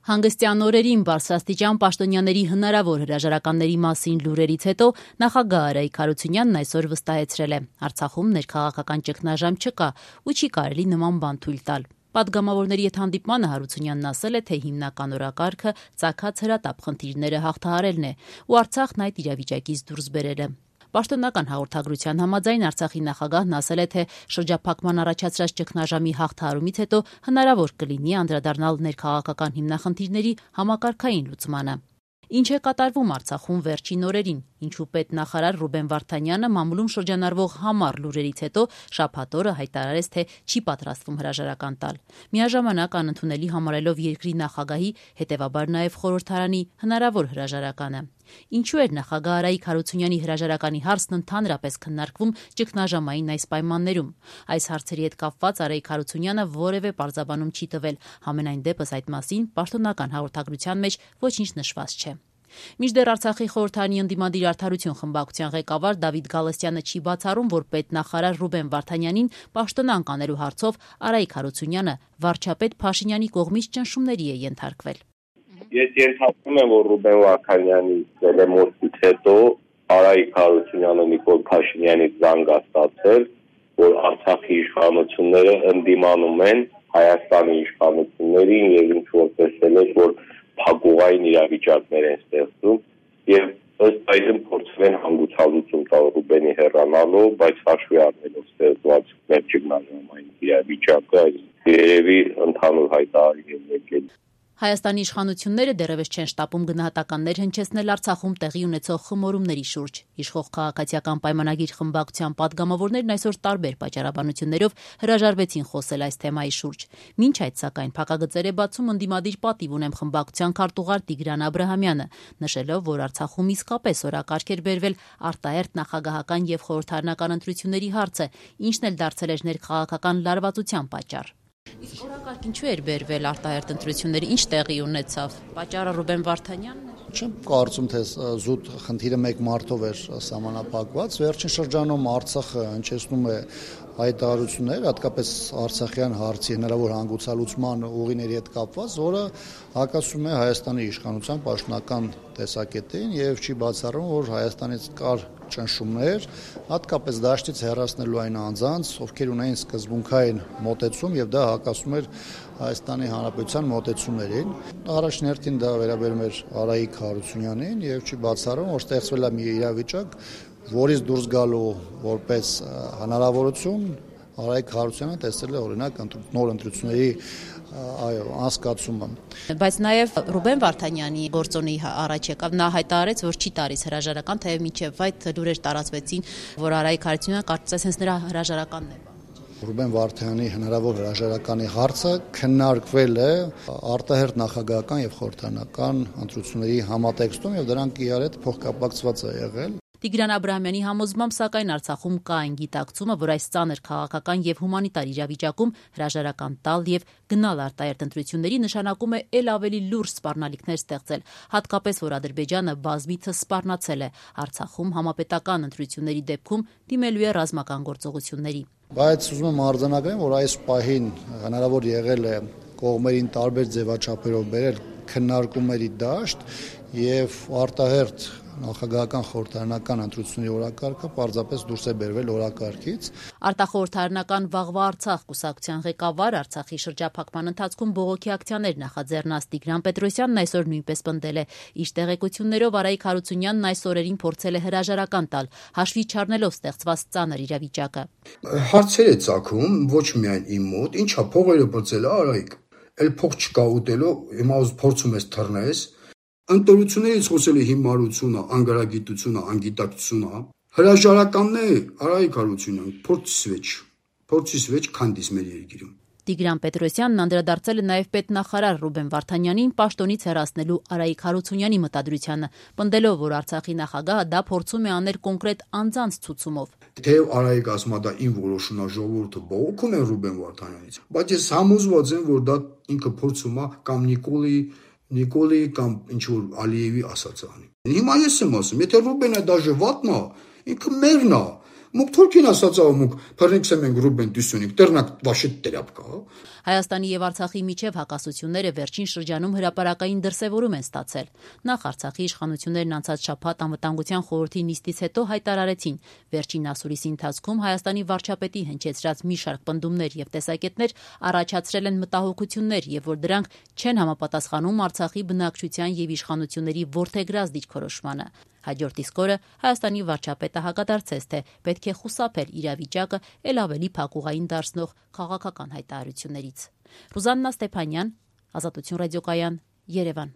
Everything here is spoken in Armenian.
Հանգստյան օրերին բարձրաստիճան պաշտոնյաների հնարավոր հրաժարականների մասին լուրերից հետո նախագահ Արայիկ Հարությունյանն այսօր վստահեցրել է. Արցախում ներքաղաքական ճգնաժամ չկա ու չի կարելի նման բան թույլ տալ։ Պատգամավորների հետ հանդիպմանը Հարությունյանն ասել է, թե հիմնական օրակարգը ծագած հրատապ խնդիրները հաղթահարելն է ու Արցախն այդ իրավիճակից դուրս բերելը։ Պաշտոնական հաղորդագրության համաձայն Արցախի նախագահն ասել է, թե շրջափակման առաջացրած ճգնաժամի հաղթահարումից հետո հնարավոր կլինի անդրադառնալ ներքաղաքական հիմնախնդիրների համակարգային լուծմանը։ Ինչ է կատարվում Արցախում վերջին օրերին, ինչու պետնախարար Ռուբեն Վարդանյանը մամուլում շրջանառվող համառ լուրերից հետո շաբաթ օրը հայտարարեց, թե չի պատրաստվում հրաժարական տալ։ Միաժամանակ անընդունելի համարելով երկրի նախագահի, հետևաբար նաև խորհրդարանի հնարավոր հրաժարականը։ Ինչու էր նախագահ Արայիկ Հարությունյանի հրաժարականի հարցն ընդհանրապես քննարկվում ճգնաժամային այս պայմաններում։ Այս հարցերի հետ կապված Արայիկ Հարությունյանը որևէ պարզաբանում չի տվել, համենայն դեպս այդ մասին պաշտոնական հաղորդագրության մեջ ոչինչ նշված չէ։ Մինչդեռ Արցախի խորհրդարանի ընդդիմադիր Արդարություն խմբակցության ղեկավար Դավիթ Գալստյանը չի բացառում, որ պետնախարար Ռուբեն Վարդանյանին պաշտոնանկ անելու հարցով Արայիկ Հարությունյանը վարչապետ Փաշինյանի կողմից ճնշումների է ենթարկվել։ Ես ենթադրում եմ, որ Ռուբեն Վարդանյանի դելեմոստից հետո Արայիկ Հարությունյանը Նիկոլ Փաշինյանից զանգ է ստացել, որ Արցախի իշխանությունները ընդդիմանում են Հայաստանի իշխանություններին եւ ինչ որ տեսել է, որ փակուղային իրավիճակներ են ստեղծում եւ ըստ այդմ փորձում են հանգուցալուծում տալ Ռուբենի հեռանալով, բայց հաշվի առնելով ստեղծված մեր ճգնաժամային իրավիճակը երևի ընդհանուր հայտարարի են եկել։ Հայաստանի իշխանությունները դեռևս չեն շտապում գնահատականներ հնչեցնել Արցախում տեղի ունեցող խմորումների շուրջ։ Իշխող քաղաքացիական պայմանագիր խմբակցության պատգամավորներն այսօր տարբեր պատճառաբանություններով հրաժարվեցին խոսել այս թեմայի շուրջ։ Մինչ այդ, սակայն, փակագծեր է բացում ընդդիմադիր պատիվ ունեմ խմբակցության քարտուղար Տիգրան Աբրահամյանը, նշելով, որ Արցախում իսկապես օրակարգ էր բերվել արտահերթ նախագահական եւ խորհրդարանական ընտրությունների հարցը, ինչն էլ դարձել էր ներքաղաքական լարվածության պատճառ։ Իսկ օրակարգ ինչու էր բերվել արտահերթ ընտրությունների, ինչ տեղի ունեցավ։ Պատճառը Ռուբեն Վարդանյանն էր։ Չեմ կարծում, թե զուտ խնդիրը մեկ մարդով էր սահմանափակված։ Վերջին շրջանում Արցախը հնչեցնում է հայտարարություններ, հատկապես արցախյան հարցի հնարավոր հանգուցալուծման ուղիների հետ կապված, որը հակասում է Հայաստանի իշխանության պաշտոնական տեսակետին եւ չի բացառում, որ Հայաստանից կար ճնշումներ, հատկապես դաշտից հեռացնելու այն անձանց, ովքեր ունեին սկզբունքային մոտեցում եւ դա հակասում էր Հայաստանի Հանրապետության մոտեցումներին։ Առաջին հերթին դա վերաբերում էր Արայիկ Հարությունյանին եւ չի բացառում, որ ստեղծվել է մի իրավիճակ, որից դուրս գալու որպես հնարավորություն Արայիկ Հարությունյանը տեսել է օրինակ նոր ընտրությունների անցկացումը։ Բայց նաև Ռուբեն Վարդանյանի գործոնի առաջ եկավ, նա հայտարարեց, որ չի տալիս հրաժարական, թեև մինչև այդ լուրեր տարածվեցին, որ Արայիկ Հարությունյանը կարծես հենց նրա հրաժարականն է։ Ռուբեն Վարդանյանի հնարավոր հրաժարականի հարցը քննարկվել է արտահերթ նախագահական եւ խորհրդարանական ընտրությունների համատեքստում եւ դրանք իրար հետ փոխկապակցված է եղել։ Տիգրան Աբրահամյանի համոզմամբ, սակայն Արցախում կա այն գիտակցումը, որ այս ծանր քաղաքական եւ հումանիտար իրավիճակում հրաժարական տալ եւ գնալ արտահերթ ընտրությունների նշանակում է ել ավելի լուրջ սպառնալիքներ ստեղծել, հատկապես որ Ադրբեջանը բազմիցս սպառնացել է Արցախում համապետական ընտրությունների դեպքում դիմելու է ռազմական գործողությունների։ Բայց ուզում եմ արձանագրեմ, որ այս պահին հնարավոր եղել է կողմերին տարբեր ձևաչափերով բերել քննարկումների դաշտ եւ արտահերթ նախագահական խորհրդարանական ընտրությունների օրակարգը պարզապես դուրս է բերվել օրակարգից։ Արտախորհրդարանական Վաղվա Արցախ կուսակցության ղեկավար Արցախի շրջափակման ընթացքում բողոքի ակցիաներ նախաձեռնած Տիգրան Պետրոսյանն այսօր նույնպես պնդել է։ Իր տեղեկություններով Արայիկ Հարությունյանն այս օրերին փորձել է հրաժարական տալ, հաշվի չառնելով ստեղծված ծանր իրավիճակը։ Հարցեր է ծագում ոչ միայն իմ մոտ, ինչա փողերը բծել է Արայիկ։ Էլ փող չկա ուտելու, հիմա փորձում ես թռնես։ Ընտրություններից խոսել է հիմարությունը, անգարագիտությունը, անգիտակցությունը, հրաժարականն է Արայիկ Հարությունյան, փորձից վեճ քանդից մեր երկիրում։ Տիգրան Պետրոսյանն անդրադարձել է նաև պետնախարար Ռուբեն Վարդանյանին պաշտոնից հեռացնելու Արայիկ Հարությունյանի մտադրությանը, պնդելով, որ Արցախի նախագահը դա փորձում է անել կոնկրետ անձանց ցուցումով։ Թեև Արայիկ ասում է դա իմ որոշումն է, ժողովուրդը բողոքում է Ռուբեն Վարդանյանից, բայց ես համոզված եմ, որ դա ինքը փորձում է կամ Նիկոլի կամ ինչ որ Ալիևի ասած անի։ Հիմա ես եմ ասում, եթե Ռուբենը դաժե վատնա, ինքը մերն է, Մուկ թուրքին ասած մուկ փռնիքսեմ են գրուբեն դուսունիկ դեռնակ վաշիտ տերապկա։ Հայաստանի եւ Արցախի միջև հակասությունները վերջին շրջանում հրապարակային դրսևորում են ստացել։ Նախ Արցախի իշխանություններն անցած շաբաթ անվտանգության խորհրդի նիստից հետո հայտարարեցին, վերջին ասուլիսի ընթացքում Հայաստանի վարչապետի հնչեցրած մի շարք պնդումներ եւ տեսակետներ առաջացրել են մտահոգություններ եւ որ դրանք չեն համապատասխանում Արցախի բնակչության եւ իշխանությունների ворթեգրած դիրքորոշմանը։ Հաջորդ իսկ օրը Հայաստանի վարչապետը հակադարձեց, թե պետք է խուսափել իրավիճակը ել ավելի փակուղային դարձնող քաղաքական հայտարարություններից։ Ռուզաննա Ստեփանյան, Ազատություն ռադիոկայան, Երևան։